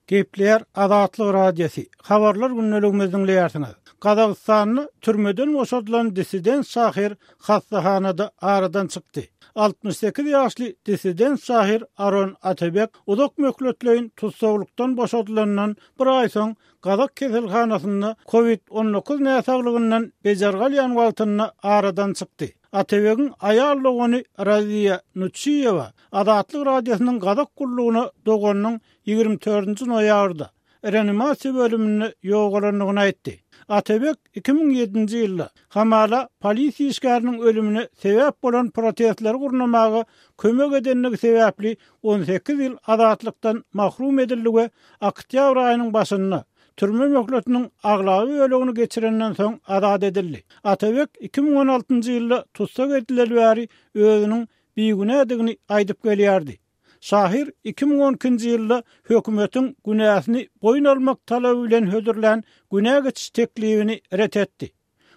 Gepleýär Azatlyk Radiosy, Habarlar gündeligimizi diňleýärsiňiz. Gazagystanda türmeden boşadylan dissident şahyr hassahanada aradan çykdy. 68 ýaşly dissident şahyr Aron Atabek uzak möhletleýin tussaglykdan boşadylandan bir aý soň gazak keselhanasynda Covid 19 näsaglygyndan bejergi alýan wagtynda aradan çykdy. Atabegiň aýal dogany Raziýa Nuçiýewa Azatlyk Radiosynyň gazak gullugyna doganynyň 24-nji noýabrda reanimasiýa bölüminde ýogalandygyny aýtdy. Atabek 2007-nji ýylda, hamala, polisiýa işgäriniň ölümine sebäp bolan protestleri gurnamaga kömek edendigi sebäpli 18 ýyl azatlykdan mahrum edildi we oktýabr aýynyň başynda, türme möhletiniň aglaba bölegini geçirenden soň azat edildi. Atabek 2016-njy ýylda tussag edileli bäri özüniň bigünädigini aýdyp gelýärdi. Şahyr 2012-nji ýylda hökümetiň günäsini boýun almak talaby bilen hödürlän günä geçiş teklibini ret etdi.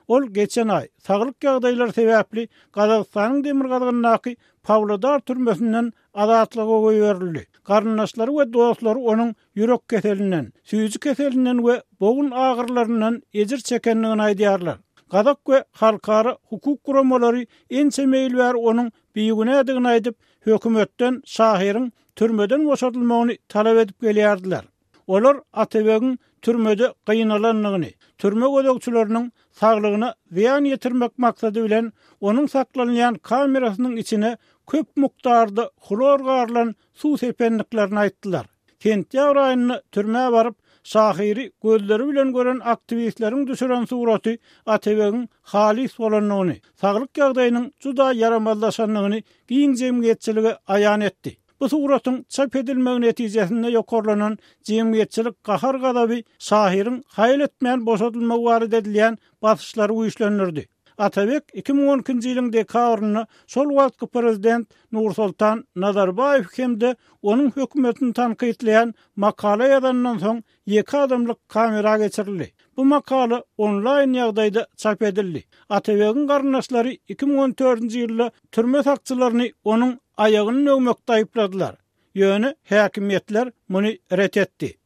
Ol geçen aý, saglyk ýagdaýlary sebäpli Gazagystanyň demirgazygyndaky Pawlodar türmesinden azatlyga goýberildi. Garyndaşlary we dostlary onuň ýürek keselinden, süýji keselinden we bogun agyrylaryndan ejir çekendigini aýdýarlar. Gazak we halkara hukuk guramalary ençeme ýyl bäri onuň bigünädigini aýdyp, hökümetden şahyryň türmeden boşadylmagyny talap edip gelýärdiler. Olar Atabegiň türmede gynalandygyny, türme gözegçileriniň saglygyna zyýan ýetirmek maksady bilen onuň saklanylýan kamerasynyň içine köp mukdarda hlor garylan suw sependiklerini aýtdylar. Sentýabr aýynda türmä baryp, şahyry gözleri bilen gören aktiwistleriň düşüren suraty Atabegiň halys bolandygyny, saglyk ýagdaýynyň juda ýaramazlaşandygyny giň jemgyýetçilige aýan etdi. Bu suratyň çap edilmegi netijesinde ýokarlanan jemgyýetçilik gahar-gazaby şahyryň haýal etmän boşadylmagy barada edilýän basyşlary güýçlendirdi. Atabek 2012-nji ýylyň dekabrynda şol wagtky prezident Nursoltan Nazarbaýew hem-de onuň hökümetini tankytlaýan makala ýazandan soň ýeke adamlyk kamera geçirildi. Bu makala onlaýn ýagdaýda çap edildi. Atabegiň garyndaşlary 2014-nji ýylda türme sakçylaryny onuň aýagyny döwmekde aýypladylar. Ýöne häkimiýetler muny ret etdi.